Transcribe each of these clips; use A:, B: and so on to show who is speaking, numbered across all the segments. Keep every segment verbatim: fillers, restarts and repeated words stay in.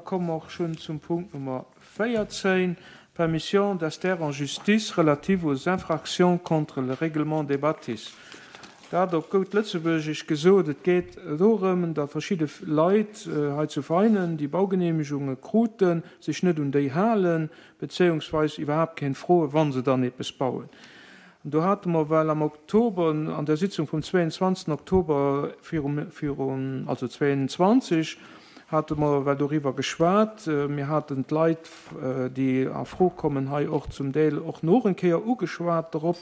A: Komme mer och schonn zum Punkt Nummer véierzéng, Permission d'ester en justice relative aux infractions contre le règlement des bâtisses. Dat op goud Lëtzebuergesch gesot, et geet dorëm, datt verschidde Leit hei zu Veinen, déi Baugeneemegunge kruten, sech net un déi halen, bezéiungsweis iwwerhaapt keen froen, wa se dann eppes bauen. An do hate mer well am Oktober, an der Sitzung vum zweeënzwanzegsten Oktober virum, virun, also zweeënzwanzeg, hate mer well doriwwer geschwat. Mir haten d'Leit, déi a Fro kommen, hei och zum Deel och nach eng Kéier ugeschwat dorop,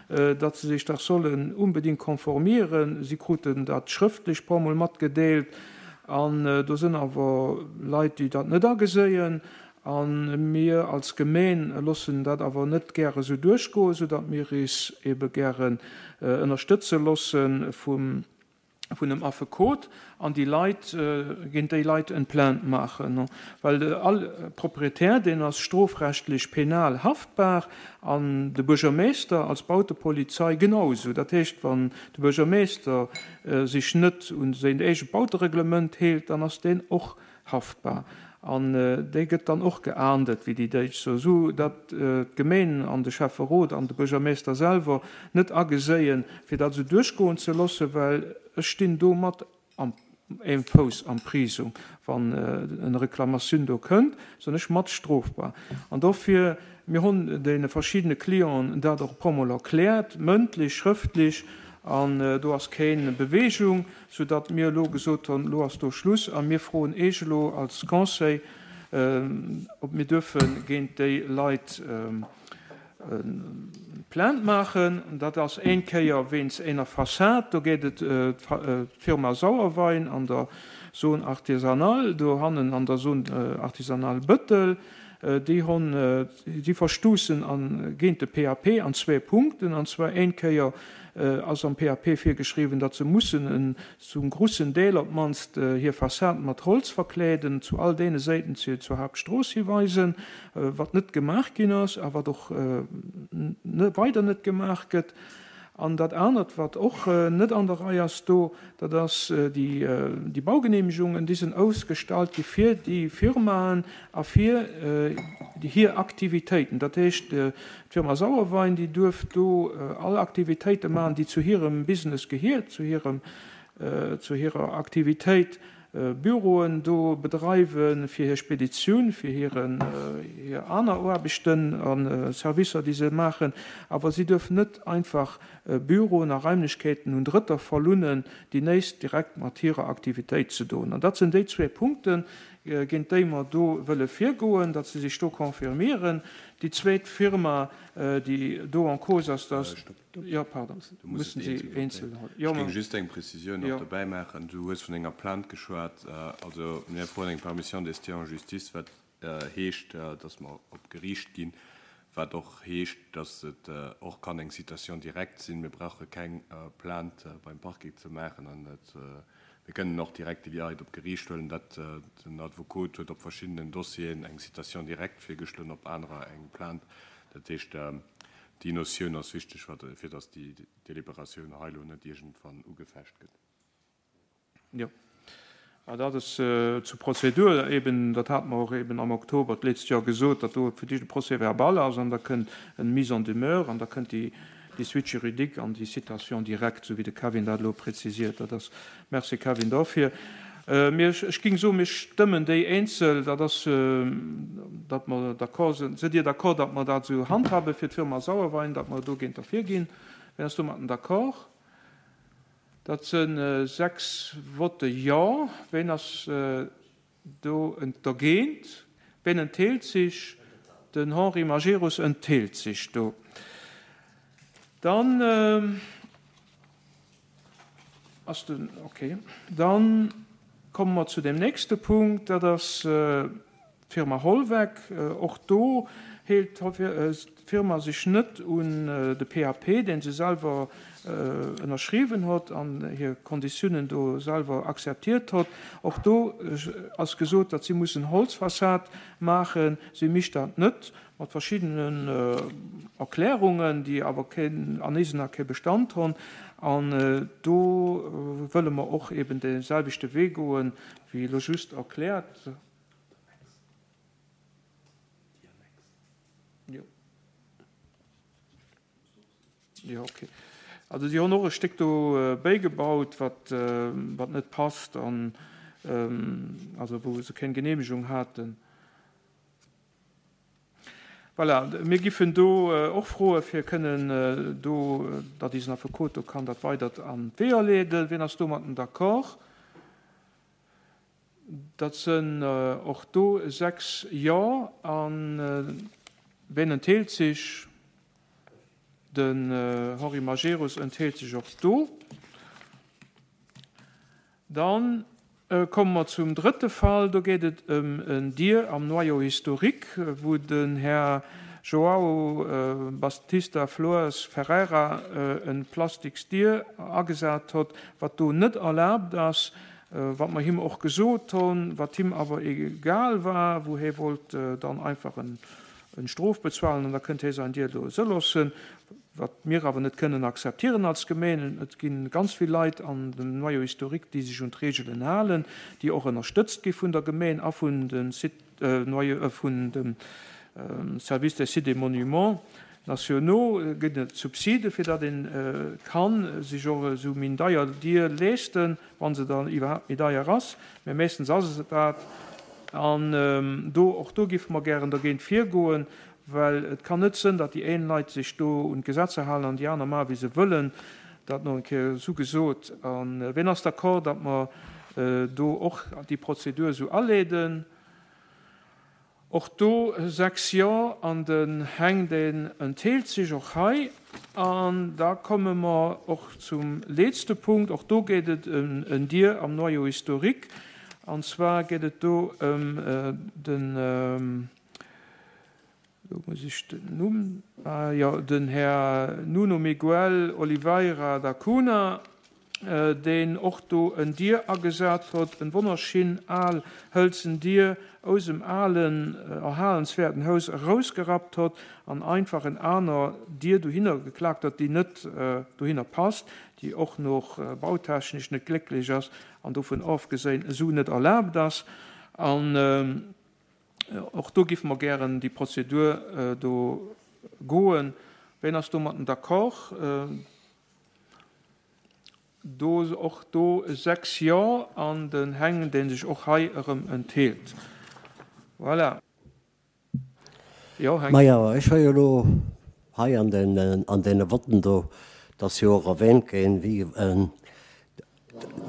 A: datt se sech dach sollen unbedingt konformieren. Si kruten dat schrëftlech puer Mol matgedeelt. An do sinn awer Leit, déi dat net ageséien. A mir als Gemeen loossen dat awer net gäre sou duerchgoen, soudatt mir is ebe gären ënnerstëtze loosse vum vun dem Affekot an déi Leit, géint déi Leit en Plainte maachen, well all Proprietär, deen ass strofrechtlech penal haftbar an de Buergermeester als Bautepolizei genau esou. Dat heescht, wann de Buergermeester sech net un säin eegent Bautereglement hält, dann ass deen och haftbar an dee gëtt dann och geahndet, wéi déi Däitsch soen, esou datt d'Gemeen an de Schäfferot an de Buergermeester selwer net ageséien, fir dat esou duerchgoen ze loossen, well ech stinn do mat am eem Fouss am Prisong, wann en Reklamatioun do kënnt, sinn ech mat strofbar. An dofir, mir hunn deene verschiddene Clienten dat och e puer Mol erkläert, mëndlech, schrëftlech, an do ass keen Beweegung, soudatt mir elo gesot hunn, elo ass do Schluss a mir froen Eech elo als Conseil, ob mir duerfe géint déi Leit Plainte maachen. Dat ass een Kéier wéinst eener Fassad, do geet et d'Firma Sauerwein an der Zone artisanale, dohannen an der Zone artisanale Bëttel. Déi hunn, déi verstoussen géint de P A P an zwee Punkten. An zwar een Kéier ass am P A P virgeschriwwen, datt se mussen en zum grussen Deel op d'mannst hir Fassad mat Holz verkleeden, zu all deene Säiten, déi zur Haaptstrooss hiweisen, wat net gemaach ginn ass a wat och weider net gemaach gëtt. An dat anert, wat och net an der Rei ass do, dat ass déi Baugenehmegungen, déi sinn ausgestallt gi fir déi Firmaen a fir hir Aktivitéiten. Dat heescht, d'Firma Sauerwein, déi duerf do all Aktivitéite maachen, déi zu hirem Business gehiert, zu hirem, zu hirer Aktivitéit, Büroen do bedreiwen, fir hir Speditioun, fir hiren, hir aner Aarbechten a Servicer, déi se maachen. Awer si duerfen net einfach Büroen a Raimlechkeeten un Drëtter verlounen, déi näischt direkt mat hirer Aktivitéit ze doen. An dat sinn déi zwee Punkten, géint déi mer do wëlle virgoen, datt se sech do confirmieren. Déi zweet Firma, déi do en cause ass, dat ass. Jo, pardon, mussen si eenzel.
B: Ech géing just eng Prezisioun nach dobäi maachen. Du hues vun enger Plainte geschwat. Also mir froen eng Permission d'ester en justice, wat heescht, datt mer op Geriicht ginn, wat och heescht, datt et och kann eng Citation directe sinn. Mir brauche keng Plainte beim Parquet ze maachen an et, mir kënnen och direkt déi Leit op Geriicht huelen. Dat, den Advokot huet op verschiddenen Dossieren eng Citation directe virgeschloen, op anerer eng Plainte. Dat heescht, déi Notioun ass wichteg, fir datt déi Deliberatioun hei elo net iergendwann ugefecht gëtt.
A: Jo, dat ass zur Prozedur eben, dat hate mer och eben am Oktober d'letzt Joer gesot, datt do fir d'éischt e Procès-verbal ass an da kënnt eng Mise en demeure an da kënnt déi déi Suite juridique an déi Citation directe, esou wéi de Kevin dat elo prezisiert. Dat ass, merci Kevin dofir. Mir, ech géing soen, mir stëmmen déi eenzel, dat ass, datt mer d'accord sinn. Sidd Dir d'accord, datt mer dat esou handhabe fir d'Firma Sauerwein, datt mer dogéint derfir ginn? Wien ass domatten d'accord? Dat si sechs Votte Jo. Wien ass do dergéint? Wien enthält sech? Den Henri Majerus enthält sech do. Dann ass den, okay. Dann komme mer zu dem nächste Punkt, dat ass d'Firma Holweck. Och do hält d'Firma sech net un de P A P, deen se selwer ënnerschriwwen huet an hir Konditiounen do selwer akzeptiert huet. Och do ass gesot, datt si mussen Holzfassad maachen. Si mécht dat net, mat verschiddenen Erklärungen, déi awer keen, an eisen Ae kee Bestand hunn. An do wëlle mer och eben dee selwechte Wee goen, wéi elo just erkläert. Jo. Jo, okay. Also si hunn och e Stéck do bäigebaut, wat, wat net passt an also wou se keng Genehmegung haten. Voilà, mir giffen do och froe fir kënnen do, datt eisen Affekot do kann dat weidert an d'Weeër leeden. Wien ass domatten d'accord? Dat sënn och do sechs Jo. An wien entheelt sech? Den Henri Majerus entheelt sech och do. Dann komme mer zum drëtte Fall. Do geet et ëm en Dier am Noyau historique, wou den Här João Baptista Flores Ferreira en plastiks Dier agesat hott, wat do net erlaabt ass, wat mer him och gesot hunn, wat him awer egal war, wou hie wollt dann einfach en Strof bezuelen an da kënnt hie säin Dier do loossen, wat mir awer net kënnen akzeptieren als Gemeen. Et gi ganz vill Leit an dem Noyau historique, déi sech un d'Reegelen halen, déi och ënnerstëtzt gi vun der Gemeen a vun de Site, Noyau, vun dem Service des Sites et Monuments nationaux gëtt et Subside fir datt een kann sech och esou méi deier Dier leeschten, wann se dann iwwerhaapt méi deier ass, mä meeschtens ass et dat. An do, och do géife mer gären dergéint virgoen, well et kann net sënn, datt déi een Leit sech do un d'Gesetzer halen an déi aner maache wéi se wëllen. Dat nach eng Kéier esou gesot. A wien ass d'accord, datt mer do och déi Prozedur esou aleeden? Och do sechs Jo, an den Heng deen entheelt sech och hei. An da komme mer och zum letzte Punkt. Och do geet et ëm en Dier am Noyau historique. An zwar geet et do ëm den, do muss ech den Numm, ah jo, den Här Nuno Miguel Oliveira da Cunha, deen och do en Dier agesat huet, en wonnerschinn al hëlzen Dier aus dem alen erhalenswäerten Haus erausgerappt huet an einfach en aner Dier dohinner geklaakt huet, déi net dohinner passt, déi och nach bautechnesch net glécklech ass an dovun ofgeséin esou net erlaabt ass. An och do géife mer gären déi Prozedur do goen. Wien ass domatten d'accord? Do och do sechs Jo an den Heng, dee sech och hei erëm entheelt. Voilà. Jo, Heng.
C: Majo, ech hu jo elo hei an den, an deene Votten do, dat ass jo och erwähnt ginn, wéi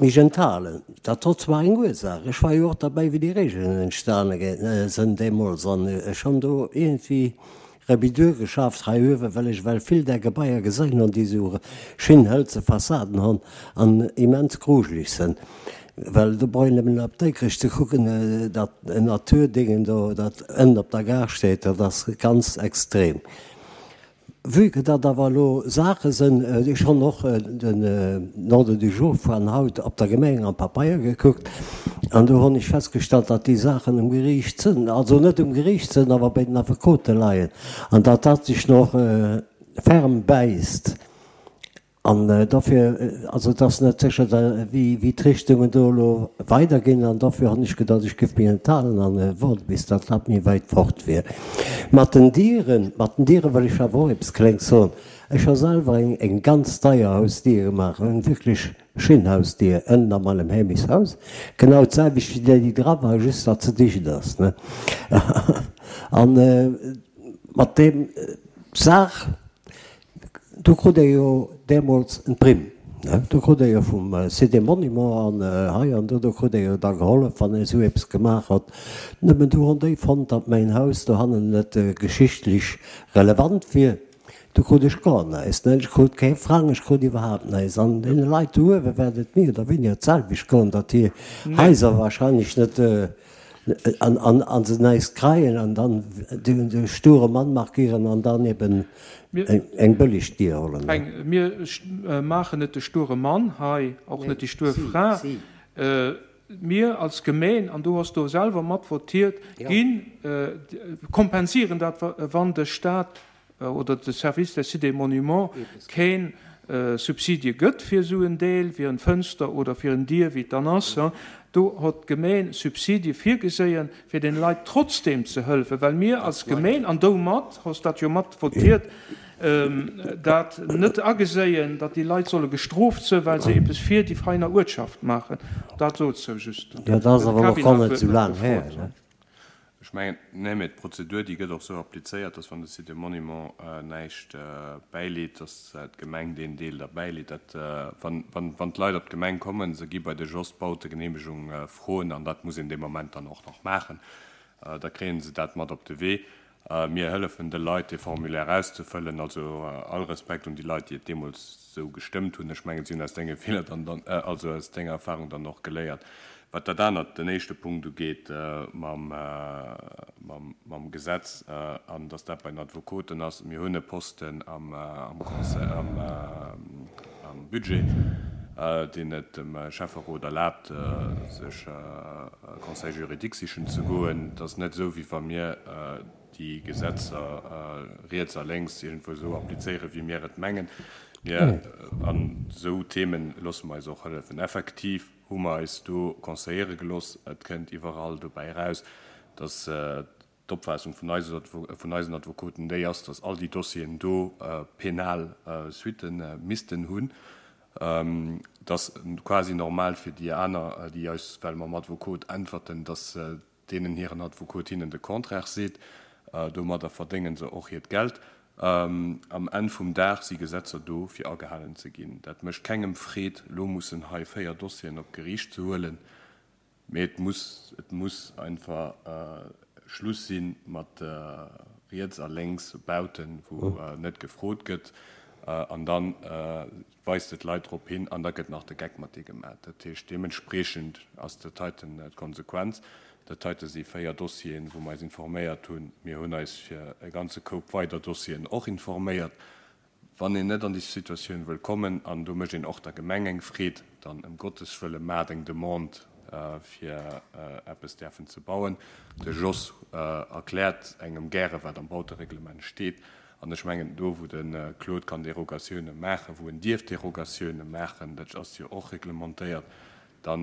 C: mech enthalen. Dat hott zwar eng Ursaach, ech war jo och derbäi, wéi déi Regeln entstane sënn deemools, an ech hunn do iergendwéi Rebidur geschafft hei uewen, well ech well vill där Gebaier gesinn hunn, déi esou schin hëlze Fassaden hunn an immens grujeleg sënn. Well do brauch een nëmmen op Dikrech ze kucken, dat Naturdingen do, dat ënnen op der Gare steet, dat ass ganz extrem. Vue que dat awer elo Saache sënn, ech hunn och den Ordre du jour vun haut op der Gemeng am Papeier gekuckt, an do hunn ech festgestallt, datt déi Saachen um Geriicht sënn, also net um Geriicht sënn, awer bei den Affekote leien, an datt dat sech nach ferm bäisst. An dofir, also et ass net sécher, wéi wéi d'Richtungen do elo weiderginn, an dofir hunn ech gedacht, ech géif mech enthalen an woarde bis dat dat méi wäit fort wier. Mat den Dieren, mat den Diere wëll ech awer och eppes Klengs soen. Ech hu selwer eng eng ganz deier Hausdier gemaach, eng wierklech schéin Hausdier ënnen a meinem Heemechtshaus, genau d'selwecht wéi déi, déi dra war, just datt se dicht ass, ne. An mat deem Saach, Do krut ee jo deemools en Primm, ne? Do krut ee jo vum Site des Monuments an hei an do, do krut ee jo da gehollef, wann ee esou eppes gemaach huet. Nëmmen du hunn déi fonnt, datt mäin Haus dohannen net geschichtlech relevant wier. Du krut ech gar näischt, ne? Ech krut kee Frang, ech krut iwwerhaapt näischt. An deene Leit do uewe wäert et méi oder wéiniger d'selwecht goen, datt hir Haiser wahrscheinlech net an an an se näischt kreien an dann de sture Mann markieren an dann eben eng bëlleg Dier hollen.
A: Heng, mir maachen net de sture Mann hei, och net déi stur Fra. Mir als Gemeen, an du has do selwer mat votiert, ginn, kompensieren dat, wann de Stat oder de Service des Sites et Monuments keen Subsidie gëtt fir esou en Deel, fir en Fënster oder fir en Dier, wéi et dann ass, Do hott d'Gemeen Subsidie virgeséien, fir den Leit trotzdem ze hëllefen, well mir als Gemeen, an domat hoss dat jo mat votiert, dat net ageséien, datt déi Leit solle gestrooft sënn, well se eppes fir déi Veiner Uertschaft maachen. Dat dozou just.
C: Jo, dat ass awer och nach net esou laang här, ne?
B: Ech mengen, nee, mä d'Prozedur, déi gëtt och esou applizéiert, dass wann de Site des Monuments näischt bäileet, dass d'Gemeng deen Deel da bäileet. Dat, wann, wann, wann d'Leit op d'Gemeng kommen, se gi bei de Jos d'Bautegeneemegung froen, an dat muss een dee Moment dann och nach maachen, da kréie se dat mat op de Wee. Mir hëllefen de Leit, dee Formulaire auszefëllen. Also all Respekt un déi Leit, déi et deemools esou gestëmmt hunn. Ech mengen, si hunn aus denge Feeler dann, also aus denger Erfahrung dann och geléiert. Wat dat anert, den éischte Punkt ugeet mam, mam Gesetz an dass dat bei den Advokoten ass, Mir hunn e Posten am, am Conseil, am, am Budget, deen et dem Schäfferot erlaabt, sech e Conseil juridique sichen ze goen. Et ass net esou, wéi wa mir déi Gesetzer riets a lénks iergendwou esou applizéieren, wéi mir et mengen. Mir, an esou Themen loosse mer eis och hëllefen. Effektiv hu mer eis do conseilléiere gelooss. Et kënnt iwwerall dobäi eraus, dass d'Opfaassung vun vun eisen Advokoten déi ass, dass all déi Dossieren do penal Suitte missten hunn. Et ass quasi normal fir déi aner, déi eis, well mam Advokot äntwerten, dass deenen hiren Advokot hinnen de Contraire seet. Domadder verdénge se och hiert Geld. Am Enn vum Dag si Gesetzer do, fir agehalen ze ginn. Dat mécht kengem Freed, elo mussen hei véier Dossieren op d'Geriicht ze huelen. Mee et muss, et muss einfach Schluss si mat riets a lénks Bauten, wou net gefrot gëtt. An da weist et d'Leit drop hin an da gëtt nach de Geck mat dir gemaach. Dat heescht, deementspreechend ass dat heiten d'Konsequenz. Dat heite si véier Dossieren, wou mer eis informéiert hunn. Mir hunn eis fir e ganze Koup weider Dossieren och informéiert. Wann een net an déi Situatioun wëll kommen, an do mécht een och der Gemeng eng Freed, dann ëm Gottes Wëlle maacht eng Demande, fir eppes däerfen ze bauen. De Jos erkläert engem gäre wat am Bautereglement steet. An ech mengen, do wou de Claude kann Derogatioune maachen, wou en dierf Derogatioune maachen, dat ass jo och reglementéiert, da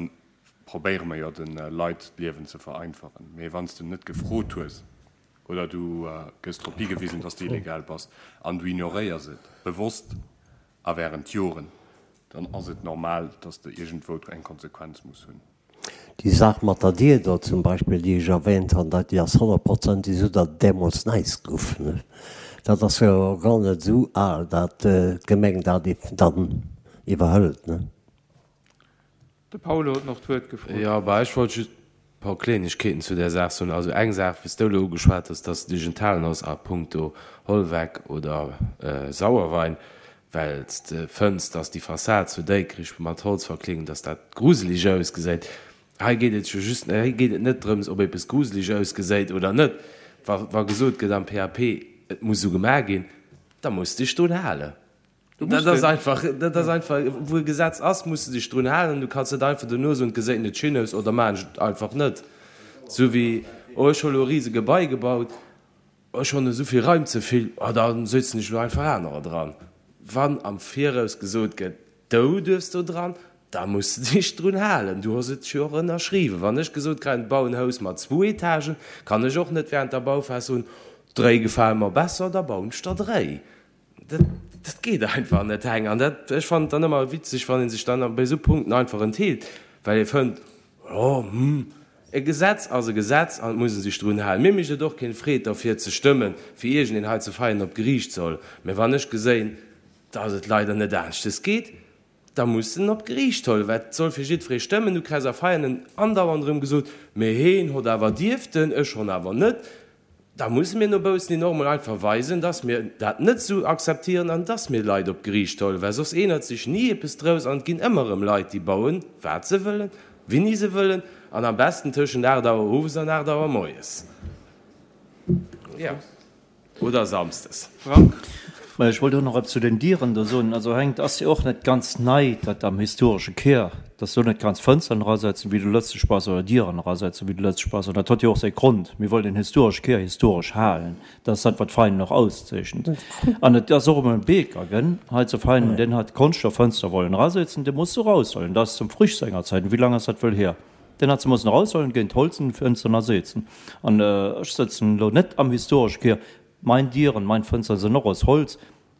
B: probéiere mer jo de Leit d'Liewen ze vereinfachen. Mee wann s de net gefrot hues oder du gëss drop higewisen, dass de illegal bass an du ignoréiers et bewosst a während Joren, dann ass et normal, dass de iergendwou eng Konsequenz muss hunn.
C: Déi Saach mat der Dier do zum Beispill, déi ech erwähnt han, dat déi ass honnertprozentig esou, datt et dämols näischt guff. Dat ass jo gar net esou al, datt d'Gemeng dat dann iwwerhëlt.
A: De Paolo huet nach d'Wuert gefrot.
D: Jo, bah, ech wollt just e paar Kleenegkeeten zu där Saach soen. Also eng Saach, wéi s de elo ugeschwat hues, dass d'Digentalen ass a puncto Holweck oder Sauerwein, well s de fënns, dass déi Fassad zu Déikrich mat Holz verkleeden, dass dat gruseleg ausgesäit. Hei geet et jo just, hei geet et net drëms, ob eppes gruseleg ausgesäit oder net. Wa, wa gesot gëtt am P A P, et muss esou gemaach ginn, da muss de dech drun halen. Dat ass einfach, dat ass einfach, wou e Gesetz ass, muss de dech drun halen. Du kanns net einfach dono soen, et geséit net schéin aus oder maachen ech et einfach net. Esou wéi, oh ech hu lo e rise Gebai gebaut, ech hunn esou vill Raim ze vill, oh da sëtzen ech elo einfach anerer dran. Wann am Viraus gesot gëtt, du duerfs do dran, da muss de dech drun halen. Du hues et jo och ënnerschriwwen. Wann ech gesot kréien, bau en Haus mat zwou Etagen, kann ech och net während der Bauphas soen, dréi gefale mer besser, da bauen ech der dréi. Dat, dat geet einfach net, Heng. An dat, ech fannen et dann ëmmer witzeg, wann ee sech dann bei esou Punkten einfach entheelt, well ee fënnt, jo, hm, e Gesetz ass e Gesetz an et muss ee sech drun halen. Mir mécht et och keng Freed, derfir ze stëmmen, fir iergendeen hei ze feien op d'Geriicht soll. Mä wann ech geséien, dass et leider net aneschtes geet, da muss en op d'Geriicht huelen, well et soll fir jiddweree stëmmen. Du kriss a Veianen andauernd erëm gesot, Mee heen hott awer dierften, ech honn awer net. Da musse mir no baussen hin och emol einfach weisen, dass mir dat net esou akzeptieren an dass mir Leit op d'Geriicht huelen, well soss eenert sech ni eppes drous an et ginn ëmmer erëm Leit, déi bauen, wat se wëllen, wéini se wëllen an am besten tëschent aacht Auer owes an aacht Auer moies. Jo. Oder samsdes.
A: Frank.
E: Mä ech wollt och nach eppes zu den Dieren do soen. Also Heng, et ass jo och net ganz nei, datt am historesche Keer, datt s du net kanns Fënsteren erasetzen, wéi du lëtzeg bass, oder Dieren erasetzen, wéi du lëtzeg bass. An dat huet jo och säi Grond. Mir wollen den historesche Keer historesch halen. Dat ass dat, wat Veinen och auszeechent. An et ass och emol en Beeker gënn hei zu Veinen, deen hat Konschtstofffënster wollen erasetzen, dee muss se eraushuelen. Dat ass zum Frisch senger Zäiten. Wéi laang ass dat wëll hier? Den hat se mussen eraushuelen, géint holzen Fënsteren ersetzen. An ech sëtzen elo net am historesche Kier. Mein Dieren, mein Fënsteren sinn och aus Holz.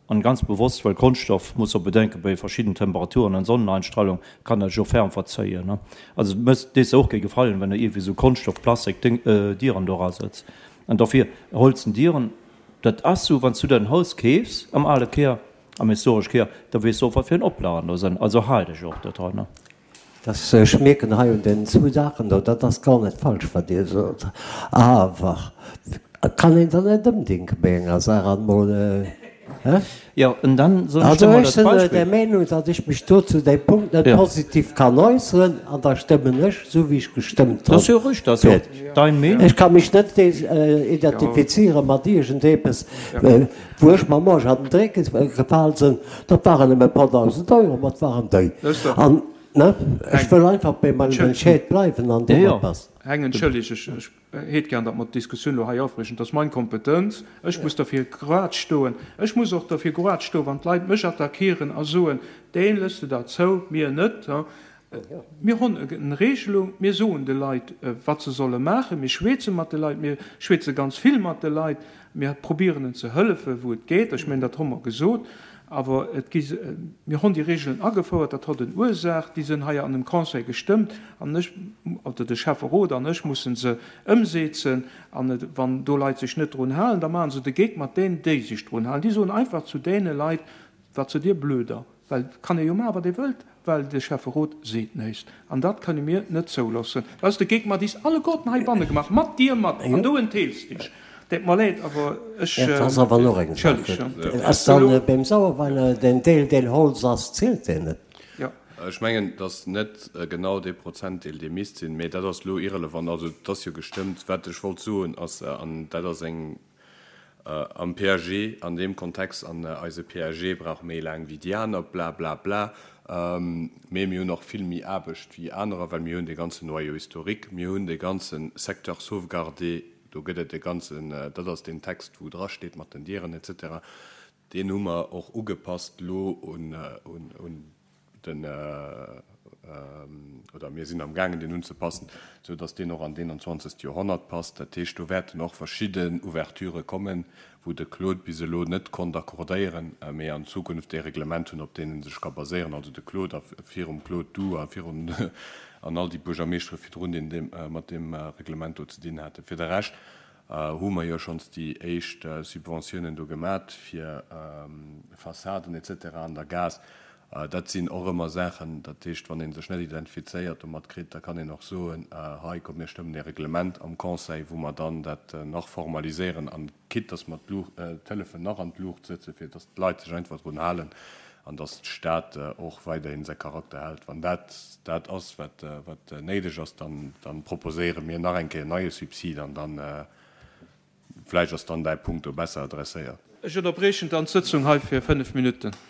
E: An ganz bewosst, well Konschtstoff, muss och bedenken, bei verschidden Temperaturen an Sonneneinstrahlung kann dat sech och ferm verzéien, ne. Also et mécht dees och kee Gefallen, wenn de iergendwéi sou Konschtstoff, Plastik Ding, Dieren do erasetz. An dofir holzen Dieren, dat ass sou, wann s du der en Haus keefs am ale Kier, am historesch Kier, da weess du och, wat fir en Oplagen do sinn. Also hal dech och dodran, ne.
C: Dass ech mierken hei un den zwou Saachen do, dat ass gar net falsch, wat Dir sot, awer et kann een dann net ëmdenke bei enger Saach an emol, hä?
E: Jo, an dann soen ech
C: Also
E: der mol
C: ech
E: dat
C: sinn
E: Beispill.
C: der Meenung, datt ech mech do zu deem Punkt net
E: Jo.
C: positiv kann äusseren an da stëmmen ech esou wéi ech gestëmmt
E: Dat ass
C: hunn.
E: jo richteg, dat ass jo dein Meenung.
C: Ech ka mech net identifiziere mat iergendepes, wou ech mam Arsch an den Dréck gefal sinn. Dat waren nëmme e puer dausend Euro, ma et waren déi. An Ne? Ech wëll einfach bei mengem Entscheed bleiwen an domat passt.
A: Heng, entschëlleg, ech hätt gär, datt mer d'Diskussioun elo hei ofbriechen. Dat ass meng Kompetenz. Ech muss derfir grad stoen. Ech muss och derfir grad stoen, wann d'Leit mech attackieren a soen, Deen lëss de dat zou, mir net. Mir hunn eng Regelung, mir soen de Leit, wat se solle maachen. Mir schwätze mat de Leit, mir schwätze ganz vill mat de Leit. Mir probieren en ze hëllefen, wou et geet. Ech mengen, dat hu mer gesot. Awer et gi, mir hunn déi Regeln agefouert, dat hott en Ursaach, déi sinn hei an dem Conseil gestëmmt an ech, oder de Schäfferot an ech mussen se ëmseezen. An et, wann do Leit sech net drun halen, da maache se de Geek mat deenen, déi sech drun halen. Déi soen einfach zu deene Leit, Wat sidd Dir Blöder? Well et kann ee jo maachen, wat ee wëllt, well de Schäfferot seet näischt. An dat kënne mir net zouloossen. Dat ass de Geek mat is alleguerten heibanne gemaach, mat dir mat, an du entheels dech. Deet mer leed, awer ech,
C: Dat ass awer och eng Saach.
A: entschëllegt.
C: Ass dann beim Sauerwein den Deel, deen Holz ass, zielt deen net?
A: Jo.
B: Ech mengen, et ass net genau dee Prozentdeel, dee misst sinn, mä dat ass elo irrelevant. Also et ass jo gestëmmt. Wat ech wollt soen ass, an dat ass eng am P A G an deem Kontext, an eise P A G brauch méi laang wéi déi aner, bla bla bla, mee mir hunn och vill méi Aarbecht wéi anerer, well mir hunn dee ganzen Noyau historique, mir hunn dee ganze Secteur sauvegardé, do gëtt et e ganzen, dat ass deen Text, wou drasteet mat den Dieren et cetera, deen hu mer och ugepasst elo un den, oder mir sinn amgaangen deen unzepassen, esou datt deen och an d'eenanzwanzegst Joerhonnert passt. Dat heescht, do wäerten och verschidden Ouverturë kommen, wou de Claude bis elo net konnt accordéieren, mee an Zukunft ee Reglement hunn, op deen e sech ka baséieren, also de Claude a virum Claude du a virun an all déi Buergermeeschtere virdrun, déi deem mat deem Reglement do ze dinn haten. Fir de Rescht hu mer jo schonns déi éischt Subventiounen do gemat fir Fassaden et cetera an der Gaass. Dat sinn och ëmmer Saachen, dat heescht, wann ee sech net identifizéiert domat kritt, da kann een och soen, hei komm mir stëmmen ee Reglement am Conseil, wou mer dann dat nach formaliséieren an quitte dass mer d'Hëllefen nach an d'Luucht sëtzen, fir dass d'Leit sech einfach drun halen an dass d'Stad och weiderhin säi Charakter hält. Wann dat dat ass, wat néideg ass, dann proposéiere mir nach eng Kéier en neie Subsid an dann vläicht ass dann däi Punkt do besser adresséiert.
A: Ech ënnerbriechen dann d'Sëtzung hei fir fënnef Minutten.